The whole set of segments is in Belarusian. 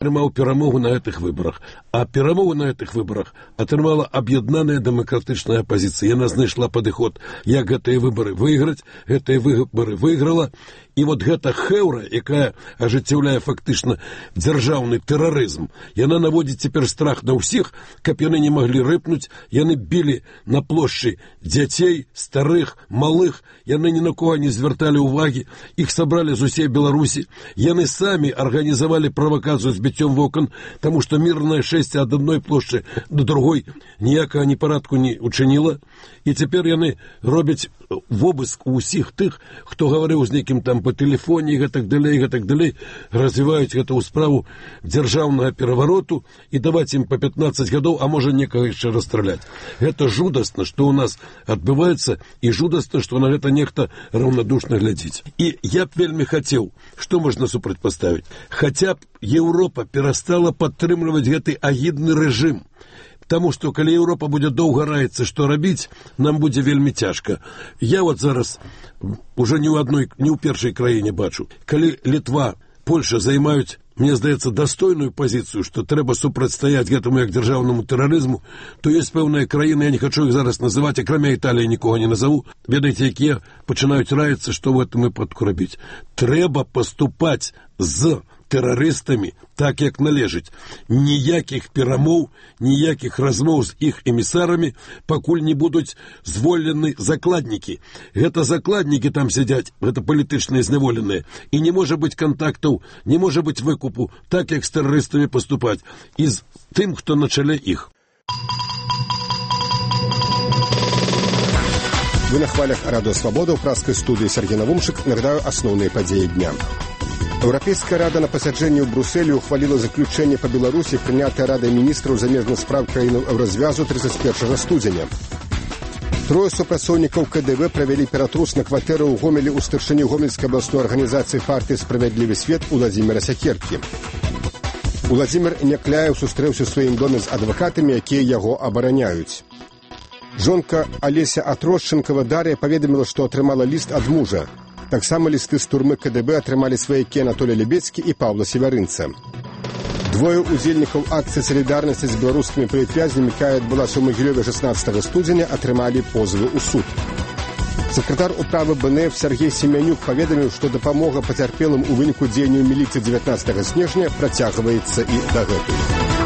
атрымаў перамогу на гэтых выбарах. А перамогу на гэтых выбарах атрымала аб'яднаная дэмакратычная апазіцыя. Яна знайшла падыход, як гэтыя выбары выйграць, гэтыя выбары выйграла. І вот гэта хэўра, якая ажыццяўляе фактычна дзяржаўны тэрарызм, яна наводзіць цяпер страх на ўсіх, каб яны не маглі рыпнуць, яны білі на плошчы дзяцей, старых, малых, яны ні на кого не звярталі ўвагі, іх сабралі з усей Беларусі, яны самі арганізавалі правакацыю з біццём вокон, таму што мірнае шэсце ад адной плошчы до другой ніякага непарадку не учыніла, і цяпер яны робяць вобыск у ўсіх тых, хто гаварыў з нейкім там по тэлефоне, і гэтак далей, развіваюць гэту справу дзяржаўнага перавароту і даваць ім по 15 гадоў, а можа некага яшчэ расстраляць. Гэта жудасна, што ў нас адбываецца, і жудасна, што на гэта нехта раўнадушна глядзіць. І я б вельмі хацеў, што можна супрацьпаставіць? Хаця б Еўропа перастала падтрымліваць гэты агідны рэжым. Таму што, калі Еўропа будзе доўга раіцца, што рабіць, нам будзе вельмі цяжка. Я вот зараз уже ні ў першай краіне бачу. Калі Літва, Польша займаюць, мне здаецца, дастойную пазіцыю, што трэба супрацьстаяць гэтаму як дзяржаўнаму тэрарызму, то ёсць пэўныя краіны, я не хачу іх зараз называць, акрамя Італіі нікога не назову, ведаеце, якія пачынаюць раіцца, што ў гэтым выпадку рабіць. Трэба паступаць з тэрарыстамі так, як належыць. Ніякіх перамоў, ніякіх размоў з іх эмісарамі, пакуль не будуць звольнены закладнікі. Гэта закладнікі там сядзяць, гэта палітычныя зняволеныя. І не можа быць кантактаў, не можа быць выкупу, так, як з тэрарыстамі паступаць. І з тым, хто на чале іх. Вы на хвалях Радио Свобода, у праскай студыі Сергей Навумчык. Нагадаю асноўныя падзеі дня. Еўрапейская рада на пасяджэнні ў Брусэлі ухваліла заключэнне па Беларусі, прынятае Радай міністраў замежных спраў краінаў Еўразвязу 31 студзеня. Трое супрацоўнікаў КДВ правялі ператрус на кватэры ў Гомелі ў старшыні Гомельскай абласной арганізацыі партыі «Справядлівы свет» Уладзіміра Сякеркі. Уладзімір Някляеў сустрэўся ў сваім доме з адвакатамі, якія яго абараняюць. Жонка Алеся Атросченкова Дар'я паведаміла, што атрымала ліст ад мужа. Таксама лісты з турмы КДБ атрымалі сваякі Анатолій Лебецкі і Паўла Севярынца. Двое удзельнікаў акцыі салідарнасці з беларускімі палітвязнямі, якая адбылася ў Магілёве 16 студзеня, атрымалі позывы ў суд. Сакратар управы БНФ Сергей Семянюк паведаміў, што дапамога пацярпелым у выніку дзеянняў міліцыі 19 снежня працягваецца і дагэтуль.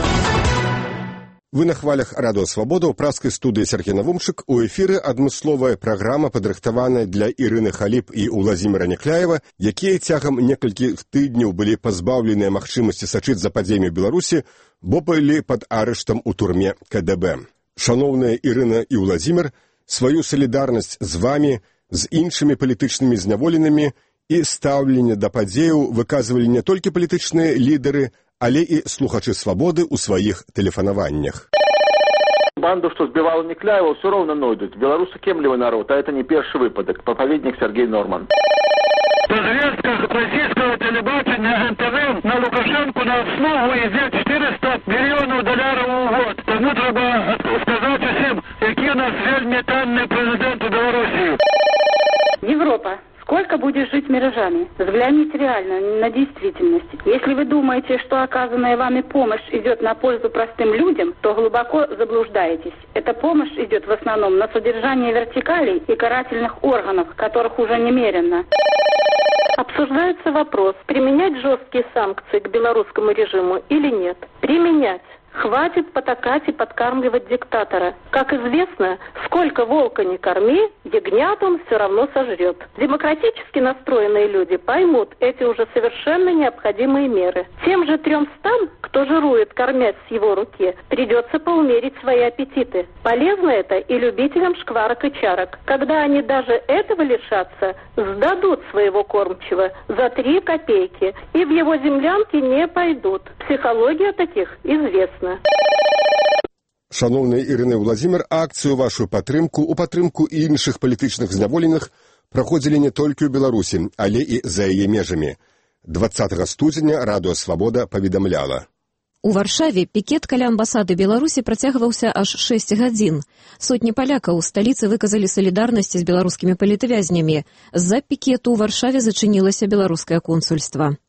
Вы на хвалях Радио Свобода, у праскай студыі Сергей Навумчык. У эфіры адмысловая праграма, падрыхтаваная для Ірыны Халіп і Уладзіміра Някляева, якія цягам некалькіх тыдняў былі пазбаўленыя магчымасці сачыць за падзеямі Беларусі, бо былі пад арыштам у турме КДБ. Шаноўная Ірына і Уладзімір, сваю салідарнасць з вамі, з іншымі палітычнымі зняволенымі і стаўленне да падзеяў выказвалі не толькі палітычныя лідары, але і слухачы свабоды ў сваіх тэлефанаваннях. Банду, что сбивала Някляева, все равно найдут. Белорусы кемливый народ, а это не первый выпадок. Проповедник Сергей Норман. По звездках российского телебачения НТВ на Лукашенку на основу идет 400 миллионов долларов в год. Тому треба сказать всем, який у нас вельми танный президент у Белоруссии. Европа. Сколько будешь жить миражами? Взгляните реально на действительность. Если вы думаете, что оказанная вами помощь идет на пользу простым людям, то глубоко заблуждаетесь. Эта помощь идет в основном на содержание вертикалей и карательных органов, которых уже немерено. Обсуждается вопрос, применять жесткие санкции к белорусскому режиму или нет. Применять. Хватит потакать и подкармливать диктатора. Как известно, сколько волка не корми, ягнят он все равно сожрет. Демократически настроенные люди поймут эти уже совершенно необходимые меры. Тем же 300, кто жирует, кормясь с его руки, придется поумерить свои аппетиты. Полезно это и любителям шкварок и чарок. Когда они даже этого лишатся, сдадут своего кормчего за 3 копейки и в его землянки не пойдут. Психология таких известна. Шановная Ірына Уладзімір, акцыю вашу падтрымку, у падтрымку і іншых палітычных зняволеных праходзілі не толькі ў Беларусі, але і за яе межамі. 20 студзеня Радыё Свабода паведамляла. У Варшаве пікет каля амбасады Беларусі працягваўся аж 6 гадзін. Сотні палякаў у сталіцы выказалі салідарнасць з беларускімі палітвязнямі. З-за пікету ў Варшаве зачынілася беларускае консульства.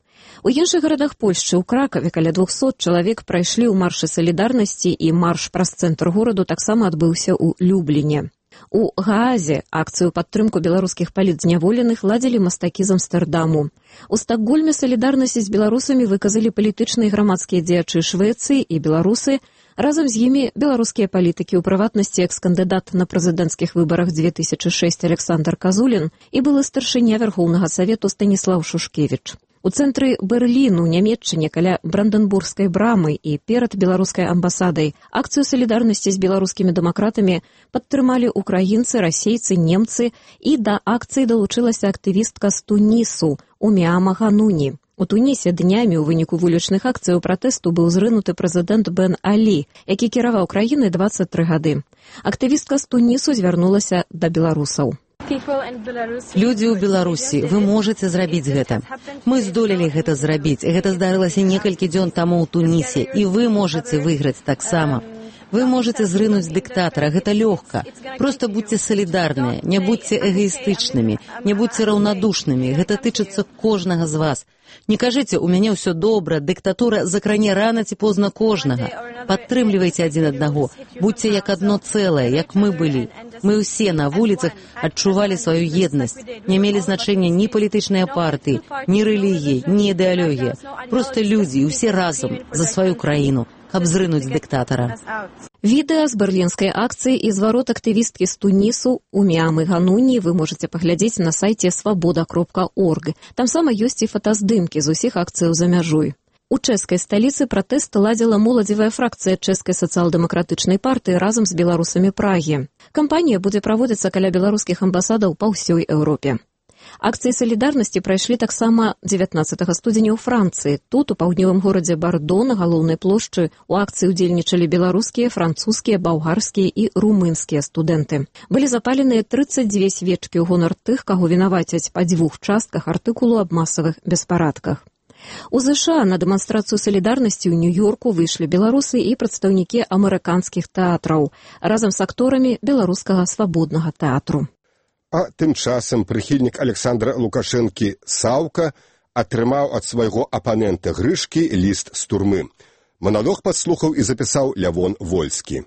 У іншых гарадах Польшчы, у Кракаве, каля 200 чалавек прайшлі ў маршы салідарнасці, і марш праз цэнтр гораду таксама адбыўся ў Любліне. У Гаазе акцыю падтрымку беларускіх палітзняволеных ладзілі мастакі з Амстэрдаму. У Стакгольме салідарнасць з беларусамі выказалі палітычныя і грамадскія дзеячы Швецыі і беларусы, разам з імі беларускія палітыкі, у прыватнасці экс-кандыдат на прэзідэнцкіх выбарах 2006 Александр Казулін і былы старшыня Вярхоўнага Савету Станіслаў Шушкевіч. У цэнтры Берліну, Нямецчыне, каля Бранденбургскай брамы і перад беларускай амбасадай акцыю салідарнасці з беларускімі дэмакратамі падтрымалі украінцы, расейцы, немцы, і да акцыі далучылася актывістка з Тунісу Уміама Гануні. У Тунісе днямі ў выніку вулічных акцыяў пратэсту быў зрынуты прэзідэнт Бен Алі, які кіраваў краінай 23 гады. Актывістка з Тунісу звярнулася да беларусаў. Людзі ў Беларусі, вы можаце зрабіць гэта. Мы здолелі гэта зрабіць. Гэта здарылася некалькі дзён таму ў Тунісе, і вы можаце выйграць таксама. Вы можаце зрынуць дыктатара, гэта лёгка. Проста будьце салідарныя, не будьце эгоістычнымі, не будьце раўнадушнымі. Гэта тычыцца кожнага з вас. Не кажыце, у мяне ўсё добра, дыктатура закране рана ці позна кожнага. Падтрымлівайце адзін аднаго, будьце як адно цэлае, як мы былі. Мы ўсе на вуліцах адчувалі сваю еднасць. Не мелі значэння ні палітычныя партыі, ні рэлігіі, ні ідэалогія. Проста людзі, усе разам, за сваю краіну, каб зрынуць дыктатара. Відэа з берлінскай акцыі і зварот актывісткі з Тунісу Уміамы Гануні вы можаце паглядзець на сайце свабода.орг. Там сама ёсць і фотаздымкі з усіх акцыяў за мяжой. У чэшскай сталіцы пратэст ладзіла моладзевая фракцыя чэшскай сацыял-дэмакратычнай партыі разам з беларусамі Прагі. Кампанія будзе праводзіцца каля беларускіх амбасадаў па ўсёй Еўропе. Акцыі салідарнасці прайшлі таксама 19 студзеня ў Францыі. Тут, у паўднёвым горадзе Бардо, на галоўнай плошчы, у акцыі ўдзельнічалі беларускія, французскія, балгарскія і румынскія студэнты. Былі запаленыя 32 свечкі ў гонар тых, каго вінавацяць па 2 частках артыкулу аб масавых беспарадках. У ЗША на дэманстрацыю салідарнасці ў Нью-Йорку выйшлі беларусы і прадстаўнікі амерыканскіх тэатраў, разам з акторамі беларускага свабоднага тэатру. А тым часам прыхільнік Александра Лукашэнкі Саўка атрымаў ад свайго апанента Грышкі ліст з турмы. Маналог падслухаў і запісаў Лявон Вольскі.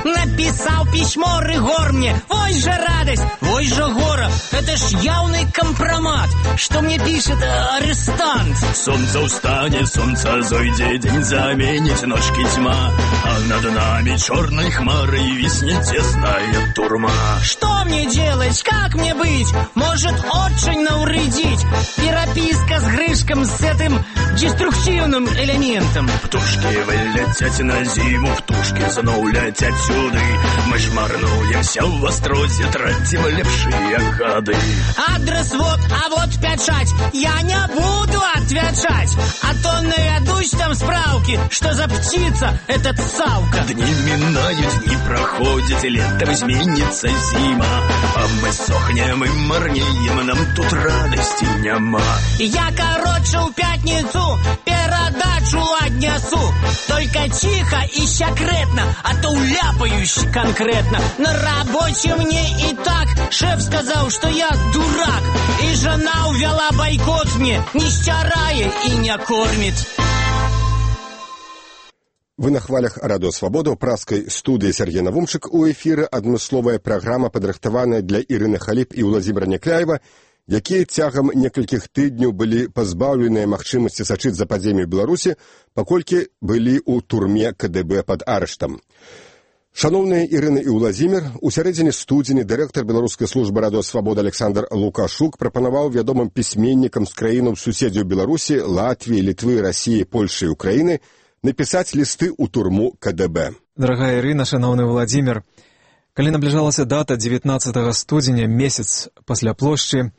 Написал письмо Рыгор мне, ой же радость, ой же горе, это ж явный компромат, что мне пишет арестант. Солнце устанет, солнце зайдет, день заменит ночки тьма, а над нами черной хмарой виснет тесная турма. Что мне делать, как мне быть, может очень навредить переписка с Грышком, с этим деструктивным элементом. Птушки вылетят на зиму, птушки снова летят сюда. Мы ж марнуемся в острозе, тратим лепшие годы. Адрес вот, а вот печать, я не буду отвечать, а то наведусь там справки, что за птица этот Савка. Дни минают, дни проходят, летом изменится зима, а мы сохнем и марнеем, нам тут радости нема. Я, короче, в пятницу передачу отнесу, только тихо и секретно, а то уляпаюсь конкретно. На работе мне и так шеф сказал, что я дурак, и жена увела бойкот мне, не стирая и не кормит. Вы на хвалях Радио Свобода ў праскай студыі Сергей Навумчык. У эфіры адмысловая праграма, падрыхтаваная для Ірыны Халіп і Ўладзіміра Някляева, якія цягам некалькіх тыдняў былі пазбаўленыя магчымасці сачыць за падзеямі ў Беларусі, паколькі былі ў турме КДБ пад арыштам. Шаноўныя Ірына і Ўладзімір, у сярэдзіне студзеня дырэктар беларускай службы Радио Свобода Александр Лукашук прапанаваў вядомым пісьменнікам з краінаў суседзяў Беларусі, Латвіі, Літвы, Расіі, Польшы і Украіны напісаць лісты ў турму КДБ. Дарагая Ірына, шаноўны Владзімір, калі набліжалася дата 19 студзеня, месяц пасля плошчы,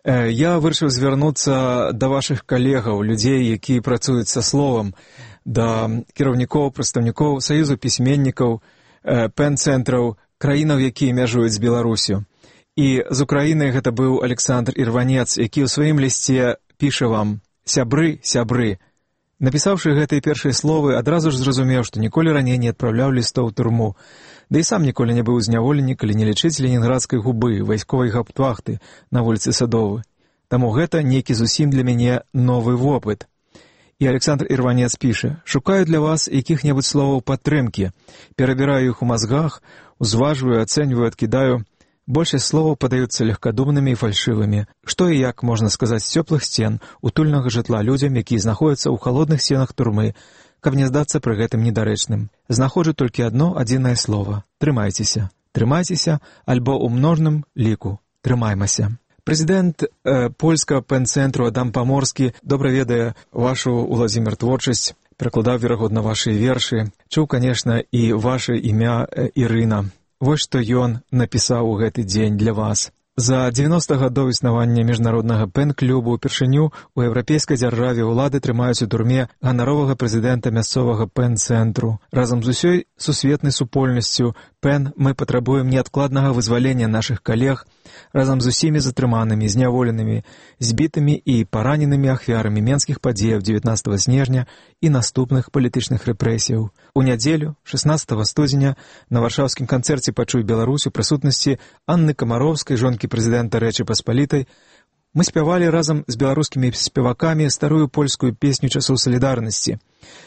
я вырашыў звярнуцца да вашых калегаў, людзей, якія працуюць са словам, да кіраўнікоў, прадстаўнікоў Саюзу пісьменнікаў, пэн-цэнтраў, краінаў, якія мяжуюць з Беларусю. І з Украіны гэта быў Александр Ірванец, які ў сваім лісце піша вам: «Сябры, сябры». Напісаўшы гэтыя першыя словы, адразу ж зразумеў, што ніколі раней не адпраўляў лістоў у турму. Да і сам ніколі не быў зняволены, калі не лічыць ленінградскай губы, вайсковай гауптвахты на вуліцы Садовы. Таму гэта нейкі зусім для мяне новы вопыт. І Александр Ірванец піша: «Шукаю для вас якіх-небудзь словаў падтрымкі, перабіраю іх у мазгах, узважваю, ацэньваю, адкідаю. Большасць словаў падаюцца легкадумнымі і фальшывымі. Што і як можна сказаць з цёплых сцен, утульнага жытла людзям, якія знаходзяцца ў халодных сценах турмы, каб не здацца пры гэтым недарэчным. Знаходжу толькі одно адзінае слова: трымайцеся. Трымайцеся, альбо ў множным ліку трымаймася». Прэзідэнт польскага пэн-цэнтру Адам Паморскі добра ведае вашу, Уладзімір, творчасць, перакладаў, верагодна, вашыя вершы, чуў, канешне, і ваше імя Ірына. Вось што ён напісаў у гэты дзень для вас. За 90 гадоў існавання міжнароднага пэн-клубу упершыню ў еўрапейскай дзяржаве ўлады трымаюць у турме ганаровага прэзідэнта мясцовага пэн-цэнтру. Разам з усёй сусветнай супольнасцю пэн мы патрабуем неадкладнага вызвалення нашых калег, разам з усімі затрыманымі, зняволенымі, збітымі і параненымі ахвярамі менскіх падзеяў 19 снежня і наступных палітычных рэпрэсіяў. У нядзелю, 16 студзеня, на варшаўскім канцэрце «Пачуй Беларусь» у прысутнасці Анны Камаровскай, жонкі прэзідэнта Рэчы Паспалітай, мы спявалі разам з беларускімі спевакамі старую польскую песню часоў салідарнасці,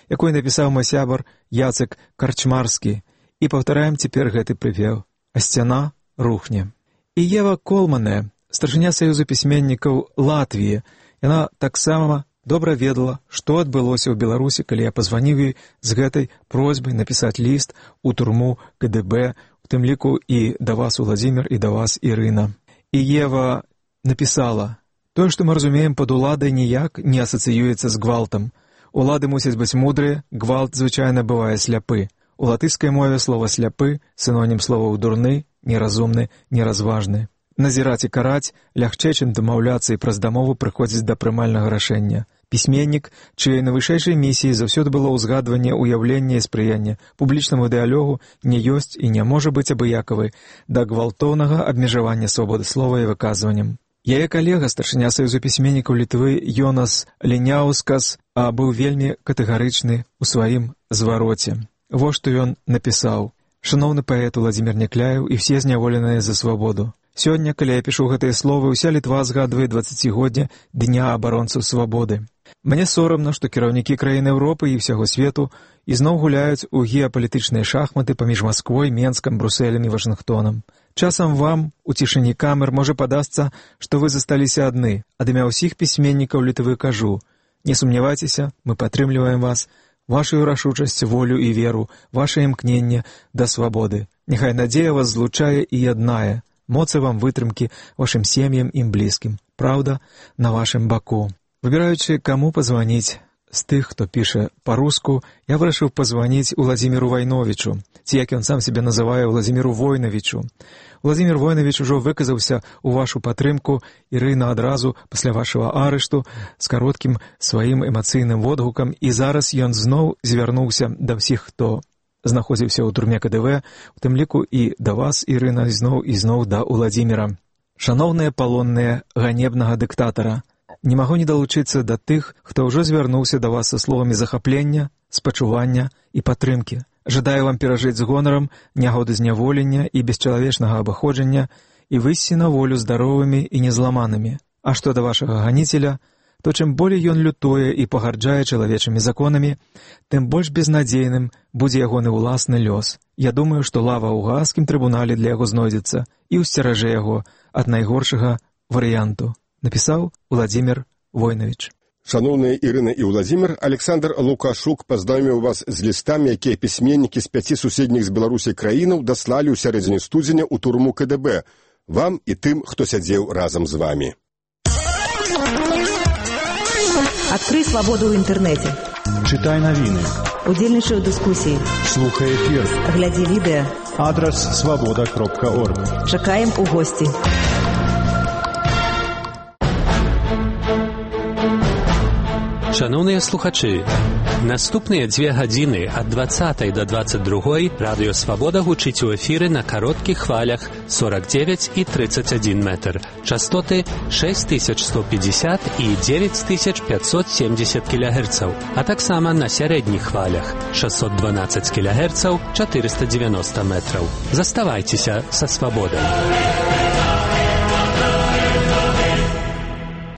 якую напісаў мой сябар Яцек Карчмарскі, і паўтараем цяпер гэты прыпеў: «А сцяна рухне». І Ева Колмане, старшыня Саюзу пісьменнікаў Латвіі, яна таксама добра ведала, што адбылося ў Беларусі, калі я пазваніў ёй з гэтай просьбай напісаць ліст у турму КДБ, у тым ліку і да вас, Уладзімір, і да вас, Ірына. І Ева напісала: «Тое, што мы разумеем пад уладай, ніяк не асацыюецца з гвалтам. Улады мусяць быць мудрыя, гвалт звычайна бывае сляпы. У латышскай мове слова «сляпы» синонім словаў «дурны», «неразумны», «неразважны». Назіраць і караць лягчэй, чым дамаўляцца і праз дамову прыходзіць да прымальнага рашэння. Пісьменнік, чыёй найвышэйшай місіяй заўсёды было ўзгадванне уяўлення і спрыяння публічнаму дыялогу, не ёсць і не можа быць абыякавай да гвалтоўнага абмежавання свабоды слова і выказваннем. Яе калега, старшыня Саюзу пісьменнікаў Літвы Йонас Леняускас, быў вельмі катэгарычны ў сваім звароце. Вось што ён напісаў: «Шаноўны паэт Уладзімір Някляеў і все зняволеныя за свабоду. Сёння, калі я пішу гэтыя словы, уся Літва згадвае 20годдзя Дня абаронцаў свабоды. Мне сорамна, што кіраўнікі краін Еўропы і ўсяго свету ізноў гуляюць у геапалітычныя шахматы паміж Масквой, Менскам, Брусэлем і Вашынгтонам. Часам вам, у цішыні камер, можа падасца, што вы засталіся адны. Ад імя ўсіх пісьменнікаў Літвы кажу: не сумнявайцеся, мы падтрымліваем вас, вашу рашучасць, волю і веру, ваше імкненне да свабоды. Няхай надзея вас злучае і яднае. Моцы вам вытрымкі, вашым сем'ям і блізкім. Праўда на вашым баку». Выбіраючы, каму пазваніць з тых, хто піша па-руску, я вырашыў пазваніць Уладзіміру Вайновічу, ці як ён сам себе называе, Уладзіміру Войнавічу. Уладзімір Войнавіч ужо выказаўся ў вашу падтрымку, Ірына, адразу пасля вашага арышту з кароткім сваім эмацыйным водгукам, і зараз ён зноў звярнуўся да ўсіх, хто знаходзіўся ў турме КДВ, у тым ліку і да вас, Ірына, зноў да Уладзіміра. «Шаноўныя палонныя ганебнага дыктатара, не магу не далучыцца да тых, хто ўжо звярнуўся да вас са словамі захаплення, спачування і падтрымкі. Жадаю вам перажыць з гонарам нягоды зняволення і бесчалавечнага абыходжання і выйсці на волю здаровымі і незламанымі. А што да вашага ганіцеля, то чым болей ён лютуе і пагарджае чалавечымі законамі, тым больш безнадзейным будзе ягоны ўласны лёс. Я думаю, што лава ў гаагскім трыбунале для яго знойдзецца і ўсцеражэ яго ад найгоршага варыянту», напісаў Уладзімір Войнавіч. Шаноўныя Ірына і Уладзімір, Александр Лукашук пазнаёміў вас з лістамі, якія пісьменнікі з 5 суседніх з Беларусі краінаў даслалі ў сярэдзіне студзеня ў турму КДБ, вам і тым, хто сядзеў разам з вамі. Открой свободу в интернете. Читай новины. Удзельнічай у дыскусіі. Слухай эфир. Глядзі відэа. Адрес свобода.орг. Чакаем у госці. Шановні слухачі, наступні 2 години від 20 до 22 Радіо Свобода гучить у ефірі на коротких хвалях 49 і 31 метр. Частоти 6150 і 9570 кГц, а так само на середніх хвалях 612 кГц, 490 метрів. Заставайтеся со Свободою.